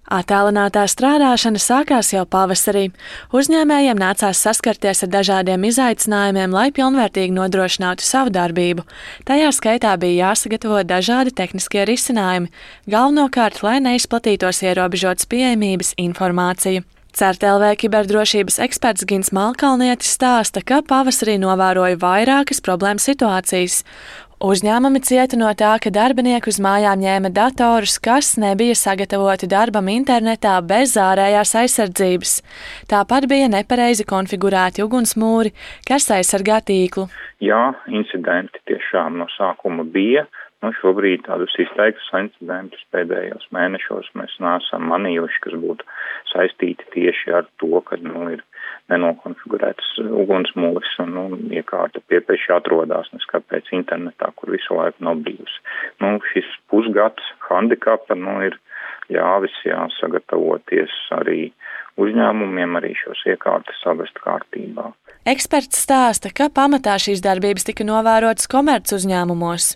Attālinātā strādāšana sākās jau pavasarī. Uzņēmējiem nācās saskarties ar dažādiem izaicinājumiem, lai pilnvērtīgi nodrošinātu savu darbību. Tajā skaitā bija jāsagatavo dažādi tehniskie risinājumi, galvenokārt, lai neizplatītos ierobežotas pieejamības informācija. CERT.LV kiberdrošības eksperts Gins Malkalnietis stāsta, ka pavasarī novēroja vairākas problēmu situācijas. Uzņēmumi cieta no tā, ka darbinieki uz mājām ņēma datorus, kas nebija sagatavoti darbam internetā bez ārējās aizsardzības. Tāpat bija nepareizi konfigurēti ugunsmūri, kas aizsargā tīklu. Jā, incidenti tiešām no sākuma bija. Šobrīd tādus izteiktus incidentus pēdējos mēnešos mēs neesam manījuši, kas būtu saistīti tieši ar to, ka ir nenokonfigurēts ugunsmūris un iekārta piepieši atrodas neskapēc internetā, kur visu laiku nav bijusi. Šis pusgads handikapa ir ļāvis sagatavoties arī uzņēmumiem, arī šos iekārtas savest kārtībā. Eksperts stāsta, ka pamatā šīs darbības tika novērotas komerc uzņēmumos.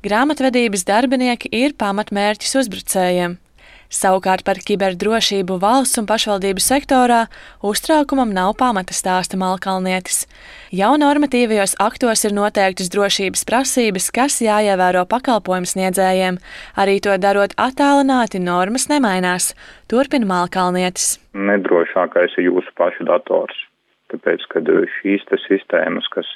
Grāmatvedības darbinieki ir pamatmērķis uzbrucējiem. Savukārt par kiberdrošību valsts un pašvaldību sektorā uztraukumam nav pamata, stāsta Malkalnietis. Jau normatīvajos aktos ir noteiktas drošības prasības, kas jāievēro pakalpojumu sniedzējiem. Arī to darot attālināti, normas nemainās, turpina Malkalnietis. Nedrošākais ir jūsu pašu dators. Tāpēc, kad šīs sistēmas, kas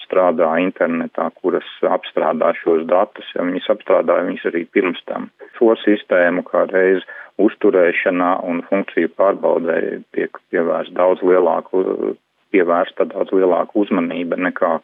strādā internetā, kuras apstrādā šos datus, viņas apstrādāja viņas arī pirms tam. Šo sistēmu kā reiz uzturēšanā un funkciju pārbaudē tiek pievērsta daudz lielāka uzmanība nekā,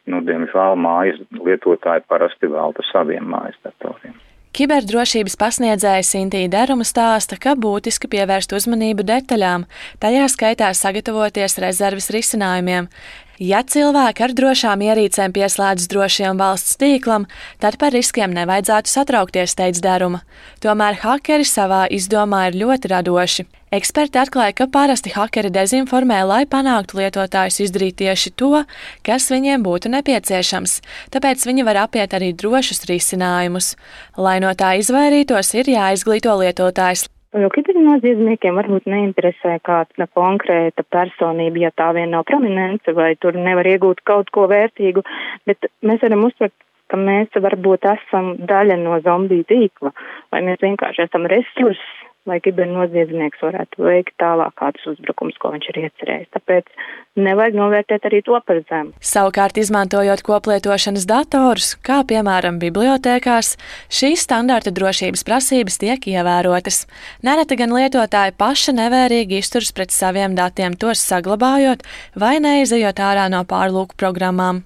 diemžēl, mājas lietotāji parasti velta saviem mājas datoriem. Kiberdrošības pasniedzēja Sintīja Deruma stāsta, ka būtiski pievērst uzmanību detaļām, tajā skaitā sagatavoties rezerves risinājumiem. Ja cilvēki ar drošām ierīcēm pieslēdzas drošiem valsts tīklam, tad par riskiem nevajadzētu satraukties, teica Deruma. Tomēr hakeri savā izdomā ir ļoti radoši. Eksperti atklāja, ka parasti hakeri dezinformē, lai panāktu lietotājus izdarīt tieši to, kas viņiem būtu nepieciešams, tāpēc viņi var apiet arī drošus risinājumus. Lai no tā izvairītos, ir jāizglīto lietotājs. Jo kibernoziedzniekiem varbūt neinteresē kāda konkrēta personība, ja tā vien nav prominence vai tur nevar iegūt kaut ko vērtīgu, bet mēs varam uztvert, ka mēs varbūt esam daļa no zombiju tīkla, vai mēs vienkārši esam resursi, lai kibernoziedznieks varētu veikt tālāk kādus uzbrukumus, ko viņš ir iecerējis. Tāpēc nevajag novērtēt arī to par zemu. Savukārt, izmantojot koplietošanas datorus, kā piemēram bibliotēkās, šīs standarta drošības prasības tiek ievērotas. Nereti gan lietotāji paši nevērīgi izturas pret saviem datiem, tos saglabājot vai neizejot ārā no pārlūku programmām.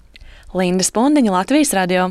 Linda Spundiņa, Latvijas radio.